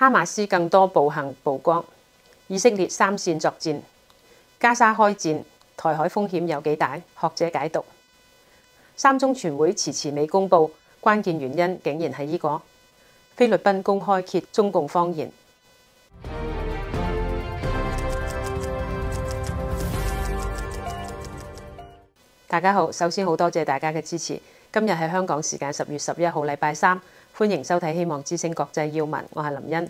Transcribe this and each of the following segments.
哈馬斯更多暴行曝光，以色列三線作戰，加沙開戰，台海風險有幾大？學者解讀。三中全會遲遲未公佈，關鍵原因竟然係呢個。菲律賓公開揭中共謊言。大家好，首先好多謝大家嘅支持。今日係香港時間10月11號，禮拜三，歡迎收睇《希望之聲國際要聞》，我係林茵。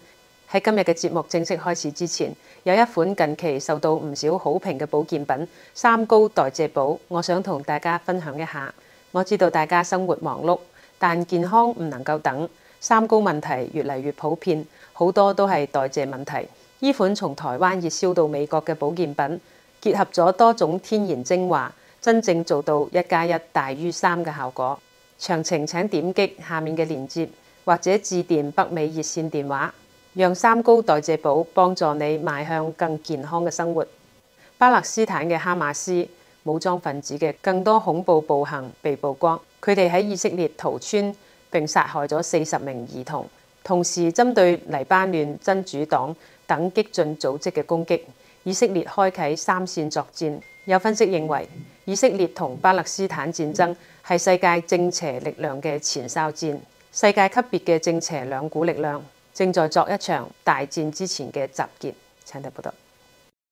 喺今日嘅節目正式開始之前，有一款近期受到唔少好評嘅保健品——三高代謝寶，我想同大家分享一下。我知道大家生活忙碌，但健康唔能夠等，三高問題越嚟越普遍，好多都係代謝問題。呢款從台灣熱銷到美國嘅保健品，結合咗多種天然精華，真正做到1+1大於3嘅效果。詳情請點擊下面嘅鏈接，或者致電北美熱線電話，讓三高代謝寶幫助你邁向更健康嘅生活。巴勒斯坦嘅哈馬斯武裝分子嘅更多恐怖暴行被曝光，佢哋喺以色列屠村並殺害咗40名兒童，同時針對黎巴嫩真主黨等激進組織嘅攻擊，以色列開啟三線作戰。有分析認為，以色列同巴勒斯坦戰爭係世界正邪力量嘅前哨戰，世界級別嘅正邪兩股力量正在作一場大戰之前嘅集結。請睇報道。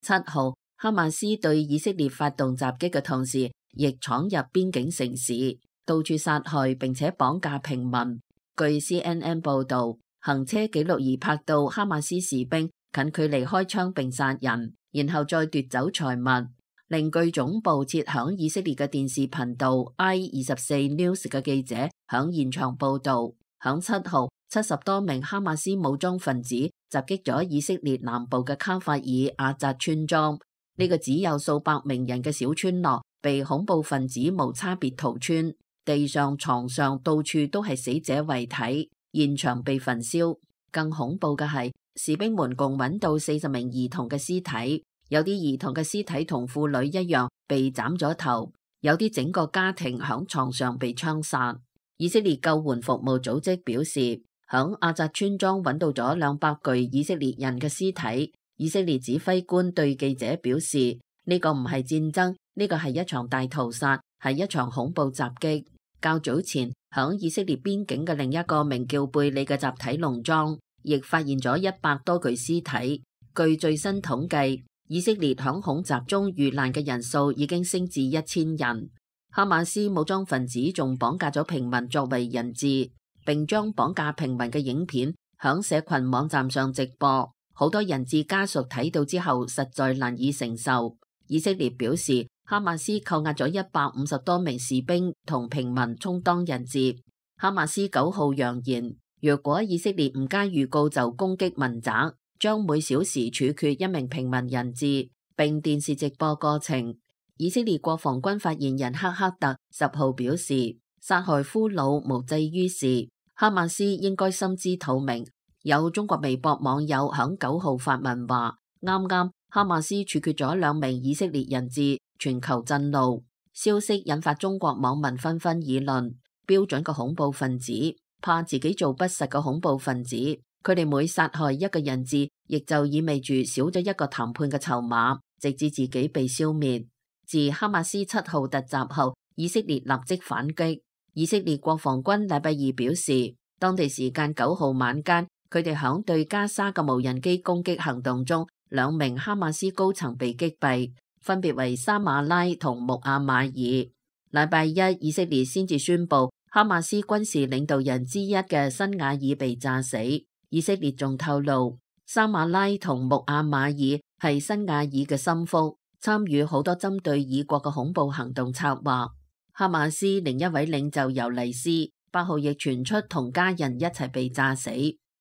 7號，哈馬斯對以色列發動襲擊嘅同時，亦闖入邊境城市，到處殺害並且綁架平民。據 CNN 報導，行車記錄儀拍到哈馬斯士兵近距離開槍並殺人，然後再奪走財物。另據總部設響以色列嘅電視頻道 I24 News 嘅記者響現場報導，響7號70多名哈馬斯武裝分子襲擊咗以色列南部嘅卡法爾阿扎村莊。呢個只有數百名人嘅小村落被恐怖分子無差別屠村，地上、床上到處都係死者遺體，現場被焚燒。更恐怖嘅係，士兵們共揾到40名兒童嘅屍體。有啲兒童嘅屍體同婦女一樣被斬咗頭，有啲整個家庭響床上被槍殺。以色列救援服務組織表示，響阿扎村莊揾到咗200具以色列人嘅屍體。以色列指揮官對記者表示，呢個唔係戰爭，呢個係一場大屠殺，係一場恐怖襲擊。較早前響以色列邊境嘅另一個名叫貝里嘅集體農莊，亦發現咗100多具屍體。據最新統計，以色列響恐襲中遇難嘅人數已經升至1000人。哈馬斯武裝分子仲綁架咗平民作為人質，並將綁架平民嘅影片響社群網站上直播。好多人質家屬睇到之後實在難以承受。以色列表示，哈馬斯扣押咗150多名士兵同平民充當人質。哈馬斯9號揚言，若果以色列唔加預告就攻擊民宅，將每小時處決1名平民人質，並電視直播過程。以色列國防軍發言人克克特10號表示，殺害俘虜無濟於事，哈馬斯應該心知肚明。有中國微博網友響9號發文話，啱啱哈馬斯處決咗2名以色列人質，全球震怒。消息引發中國網民紛紛議論，標準嘅恐怖分子怕自己做不實嘅恐怖分子。佢哋每殺害一個人質，亦就意味住少咗一個談判嘅籌碼，直至自己被消滅。自哈馬斯7號突襲後，以色列立即反擊。以色列國防軍禮拜二表示，當地時間9號晚間，佢哋響對加沙嘅無人機攻擊行動中，2名哈馬斯高層被擊斃，分別為沙馬拉同穆阿馬爾。禮拜一，以色列先至宣布哈馬斯軍事領導人之一嘅辛瓦爾被炸死。以色列仲透露，沙馬拉同穆阿馬爾係辛瓦爾嘅心腹，參與好多針對以國嘅恐怖行動策劃。哈馬斯另一位領袖尤尼斯8號亦傳出同家人一齊被炸死。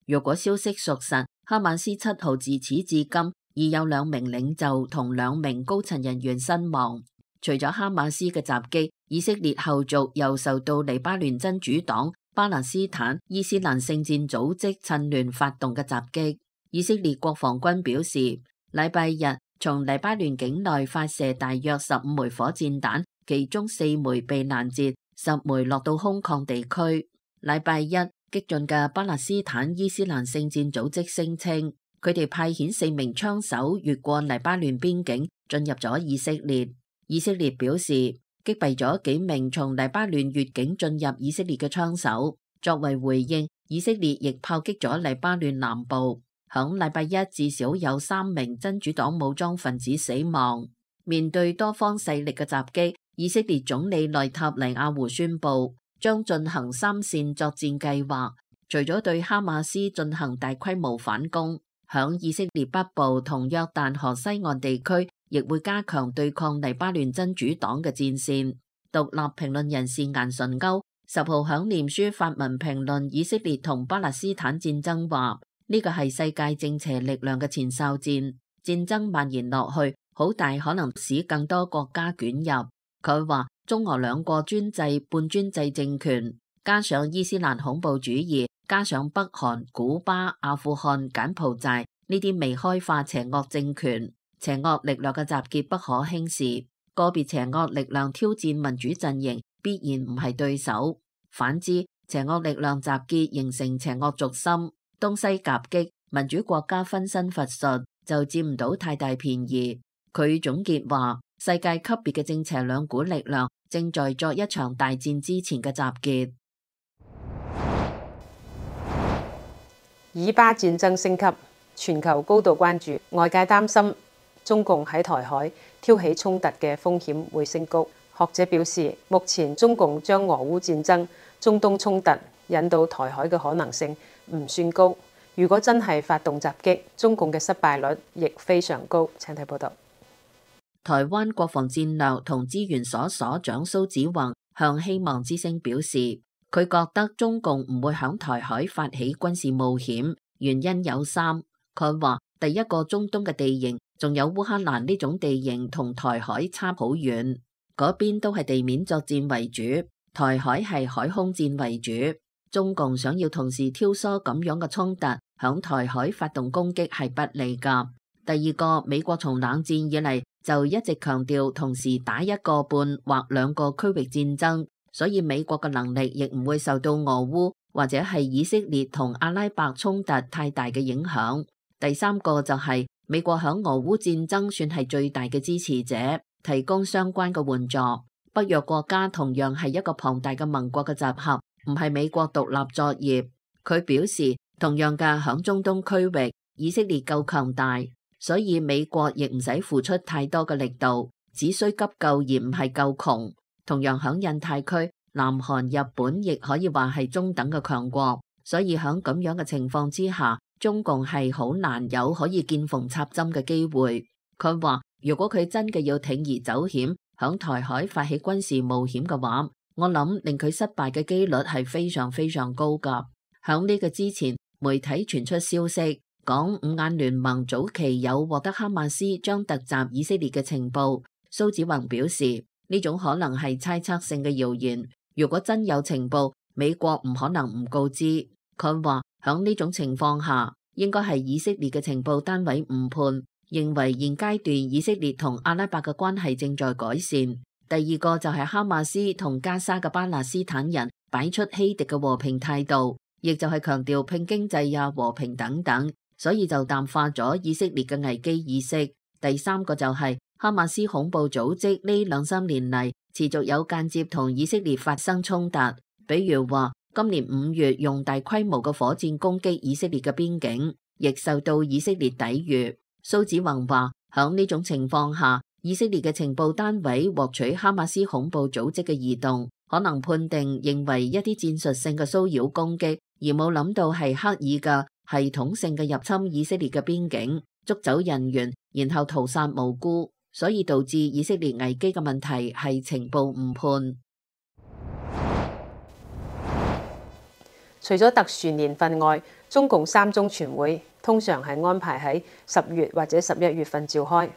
若果消息屬實，哈馬斯7號自始至今已有2名領袖同2名高層人員身亡。除咗哈馬斯嘅襲擊，以色列後續又受到黎巴嫩真主黨、巴勒斯坦伊斯蘭聖戰組織趁亂發動嘅襲擊。以色列國防軍表示，禮拜日從黎巴嫩境內發射大約15枚火箭彈，其中4枚被攔截，10枚落到空曠地區。禮拜一，激進嘅巴勒斯坦伊斯蘭聖戰組織聲稱，佢哋派遣4名槍手越過黎巴嫩邊境進入咗以色列。以色列表示擊斃咗幾名從黎巴嫩越境進入以色列嘅槍手。作為回應，以色列亦炮擊咗黎巴嫩南部。響禮拜一，至少有3名真主黨武裝分子死亡。面對多方勢力嘅襲擊，以色列總理內塔尼亞胡宣布將進行3線作戰計劃，除咗對哈馬斯進行大規模反攻，響以色列北部同約旦河西岸地區亦會加強對抗黎巴嫩真主黨嘅戰線。獨立評論人士顏純鈎10號響臉書發文評論以色列同巴勒斯坦戰爭，話呢個係世界正邪力量嘅前哨戰，戰爭蔓延落去，好大可能使更多國家捲入。佢話中俄兩個專制、半專制政權，加上伊斯蘭恐怖主義，加上北韓、古巴、阿富汗、柬埔寨呢啲未開化邪惡政權，邪惡力量嘅集結不可輕視。個別邪惡力量挑戰民主陣營，必然唔係對手。反之，邪惡力量集結形成邪惡軸心，東西夾擊，民主國家分身乏術，就佔唔到太大便宜。佢總結話，世界級別嘅正邪兩股力量正在作一場大戰之前嘅集結。以巴戰爭升級，全球高度關注，外界擔心中共喺台海挑起衝突嘅風險會升高。學者表示，目前中共將俄烏戰爭、中東衝突引到台海嘅可能性唔算高。如果真係發動襲擊，中共嘅失敗率亦非常高。請睇報道。台灣國防戰略同資源所所長蘇子宏向希望之聲表示，佢覺得中共唔會響台海發起軍事冒險，原因有3。佢話第一個，中東嘅地形仲有烏克蘭呢種地形同台海差好遠，嗰邊都係地面作戰為主，台海係海空戰為主。中共想要同時挑唆咁樣嘅衝突，響台海發動攻擊係不利噶。第二個，美國從冷戰以嚟就一直強調同時打1個半或2個區域戰爭，所以美國嘅能力亦唔會受到俄烏或者係以色列同阿拉伯衝突太大嘅影響。第三個就係美國響俄烏戰爭算係最大嘅支持者，提供相關嘅援助。北約國家同樣係一個龐大嘅盟國嘅集合，唔係美國獨立作業。佢表示，同樣嘅響中東區域，以色列夠強大，所以美國亦唔使付出太多嘅力度，只需急救而唔係夠窮。同樣響印太區，南韓、日本亦可以話係中等嘅強國，所以響咁樣嘅情況之下，中共係好難有可以見縫插針嘅機會。佢話如果佢真嘅要鋌而走險，響台海發起軍事冒險嘅話，我諗令佢失敗嘅機率係非常非常高噶。響呢個之前，媒體傳出消息，講五眼聯盟早期有獲得哈馬斯將突襲以色列嘅情報。蘇子宏表示，呢種可能係猜測性嘅謠言，如果真有情報，美國唔可能唔告知。佢話響呢種情況下，應該係以色列嘅情報單位誤判，認為現階段以色列同阿拉伯嘅關係正在改善。第二個就係哈馬斯同加沙嘅巴勒斯坦人擺出欺敵嘅和平態度，亦就係強調拼經濟呀、和平等等，所以就淡化咗以色列嘅危機意識。第三個就係哈馬斯恐怖組織呢2-3年嚟持續有間接同以色列發生衝突，比如話今年5月用大規模嘅火箭攻擊以色列嘅邊境，亦受到以色列抵禦。蘇子宏話響呢種情況下，以色列嘅情報單位獲取哈馬斯恐怖組織嘅移動，可能判定認為一啲戰術性嘅騷擾攻擊，而冇諗到係刻意嘅系統性嘅入侵以色列嘅邊境，捉走人員，然後屠殺無辜，所以導致以色列危機嘅問題係情報誤判。除咗特殊年份外，中共3中全會通常係安排喺10月或者11月份召開，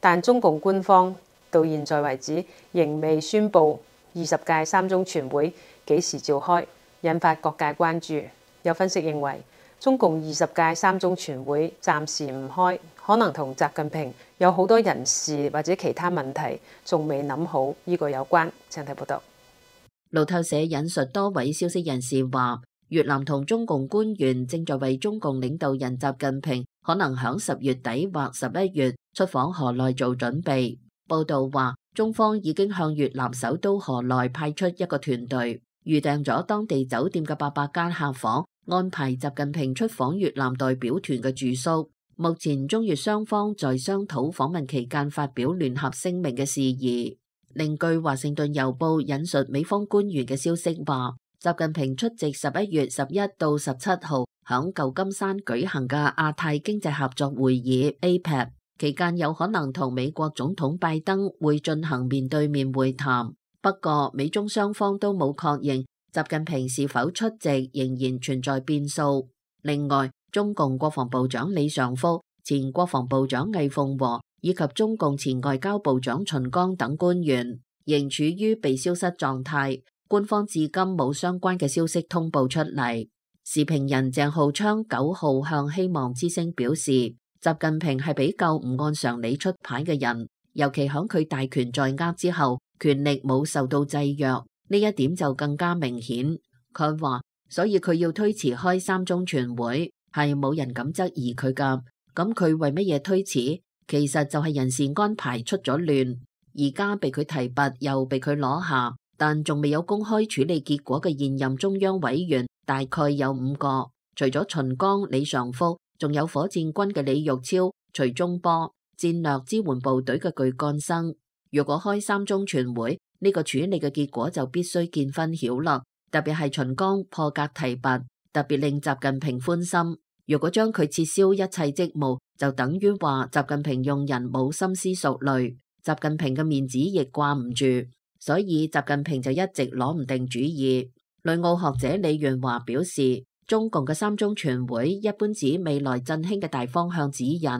但中共官方到現在為止仍未宣布20屆3中全會幾時召開，引發各界關注。有分析認為，中共20屆3中全會暫時唔開，可能同習近平有好多人事或者其他問題仲未諗好，呢個有關。請睇報道。路透社引述多位消息人士話，越南同中共官員正在為中共領導人習近平可能響10月底或11月出訪河內做準備。報道話，中方已經向越南首都河內派出一個團隊，預訂咗當地酒店嘅800間客房，安排習近平出訪越南代表團嘅住宿。目前中越雙方在商討訪問期間發表聯合聲明嘅事宜。另據華盛頓郵報引述美方官員嘅消息話，習近平出席11月11到17號響舊金山舉行嘅亞太經濟合作會議 APEC 期間，有可能同美國總統拜登會進行面對面會談。不過美中雙方都冇確認習近平是否出席，仍然存在變數。另外，中共國防部長李尚福、前國防部長魏鳳和以及中共前外交部長秦剛等官員仍處於被消失狀態。官方至今冇相關嘅消息通報出嚟。時評人鄭浩昌9號向希望之聲表示，習近平係比較唔按常理出牌嘅人，尤其響佢大權在握之後，權力冇受到制約，呢一點就更加明顯。佢話，所以佢要推遲開3中全會，係冇人敢質疑佢㗎。咁佢為乜嘢推遲？其實就係人事安排出咗亂，而家被佢提拔又被佢攞下，但仲未有公開處理結果嘅現任中央委員大概有5個，除咗秦剛、李尚福，仲有火箭軍嘅李玉超、徐忠波，戰略支援部隊嘅巨幹生。如果開3中全會，呢個處理嘅結果就必須見分曉啦。特別係秦剛破格提拔，特別令習近平歡心。如果將佢撤銷一切職務，就等於話習近平用人冇深思熟慮，習近平嘅面子亦掛唔住，所以習近平就一直攞唔定主意。旅澳學者李元華表示，中共嘅3中全會一般指未來振興嘅大方向指引，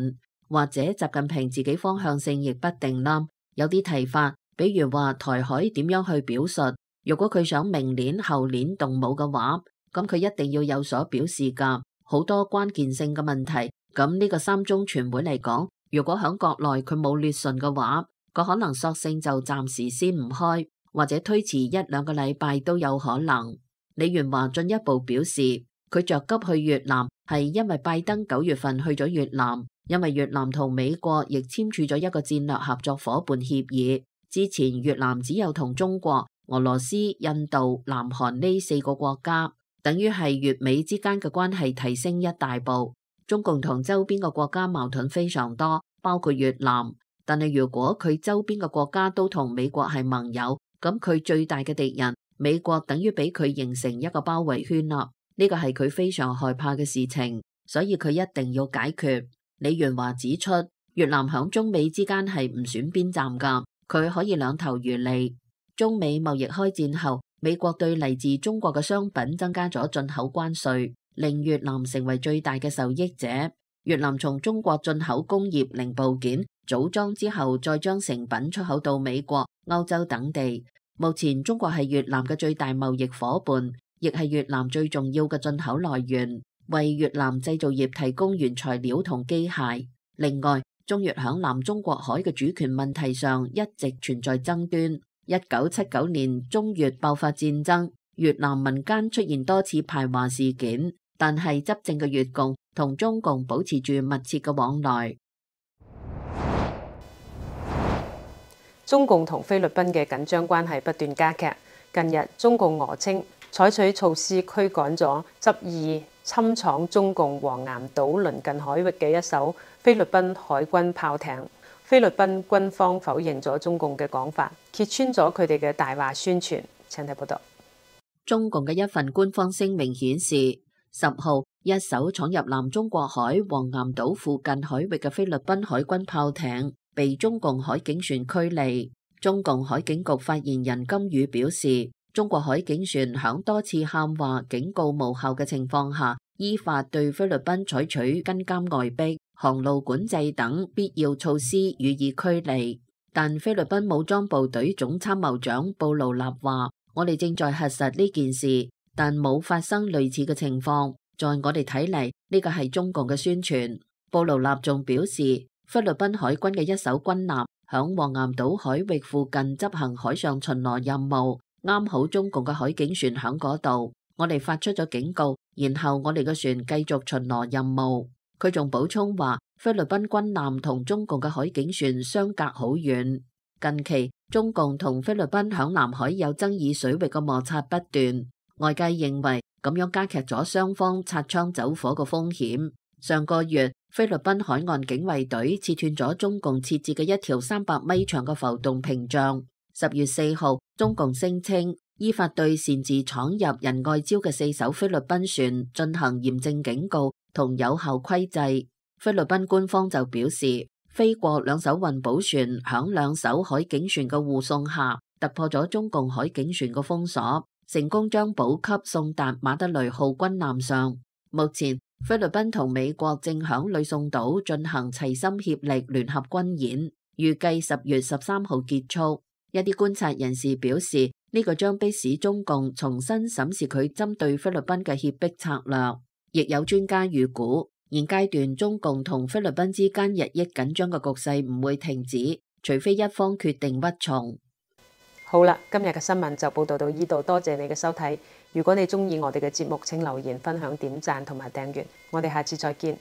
或者習近平自己方向性亦不定啦。有啲提法，比如話台海點樣去表述，如果佢想明年後年動武嘅話，咁佢一定要有所表示㗎。好多關鍵性嘅問題，咁呢個3中全會嚟講，如果響國內佢冇捋順嘅話，佢可能索性就暫時先唔開，或者推遲1-2個禮拜都有可能。李元華進一步表示，佢着急去越南係因為拜登9月份去咗越南，因為越南同美國亦簽署咗一個戰略合作伙伴協議。之前越南只有同中國、俄羅斯、印度、南韓呢4個國家。等於係越美之間嘅關係提升一大步。中共同周邊嘅國家矛盾非常多，包括越南。但係如果佢周邊嘅國家都同美國係盟友，咁佢最大嘅敵人美國等於俾佢形成一個包圍圈啦。呢個係佢非常害怕嘅事情，所以佢一定要解決。李元華指出，越南響中美之間係唔選邊站㗎，佢可以兩頭漁利。中美貿易開戰後，美國對嚟自中國嘅商品增加咗進口關稅，令越南成為最大嘅受益者。越南從中國進口工業零部件、組裝之後，再將成品出口到美國、歐洲等地。目前中國係越南嘅最大貿易夥伴，亦係越南最重要嘅進口來源，為越南製造業提供原材料同機械。另外，中越響南中國海嘅主權問題上一直存在爭端。1979年中越爆發戰爭，越南民間出現多次排華事件，但係執政嘅越共同中共保持住密切嘅往來。中共同菲律賓嘅緊張關係不斷加劇。近日，中共訛稱採取措施驅趕咗執意侵闖中共黃岩島鄰近海域嘅一艘菲律賓海軍炮艇。菲律賓軍方否認咗中共嘅講法，揭穿咗佢哋嘅大話宣傳。請睇報道。中共嘅一份官方聲明顯示，10號一艘闖入南中國海黃岩島附近海域嘅菲律賓海軍炮艇被中共海警船驅離。中共海警局發言人金宇表示，中國海警船響多次喊話警告無效嘅情況下，依法對菲律賓採取跟監外逼、航路管制等必要措施予以驅離。但菲律賓武裝部隊總參謀長布勞納話，我哋正在核實呢件事，但冇發生類似嘅情況。在我哋睇嚟，呢個係中共嘅宣傳。布勞納仲表示，菲律賓海軍嘅一艘軍艦響黃岩島海域附近執行海上巡邏任務，啱好中共嘅海警船響嗰度。我哋發出咗警告，然後我哋嘅船繼續巡邏任務。佢仲補充話，菲律賓軍艦同中共嘅海警船相隔好遠。近期中共同菲律賓響南海有爭議水域嘅摩擦不斷，外界認為咁樣加劇咗雙方擦槍走火嘅風險。上個月，菲律賓海岸警衛隊切斷咗中共設置嘅一條300米長嘅浮動屏障。10月4號，中共聲稱依法對擅自闖入仁愛礁嘅4艘菲律賓船進行嚴正警告同有效規制。菲律賓官方就表示，菲國2艘運補船響2艘海警船嘅護送下，突破咗中共海警船嘅封鎖，成功將補給送達馬德雷號軍艦上。目前，菲律賓同美國正響呂宋島進行齊心協力聯合軍演，預計10月13號結束。一啲觀察人士表示，呢個將迫使中共重新審視佢針對菲律賓嘅脅迫策略。亦有專家預估，現階段中共同菲律賓之間日益緊張嘅局勢唔會停止，除非一方決定屈從。好啦，今日嘅新聞就報道到呢度，多謝你嘅收睇。如果你鍾意我哋嘅節目，請留言、分享、點讚同埋訂閱。我哋下次再見。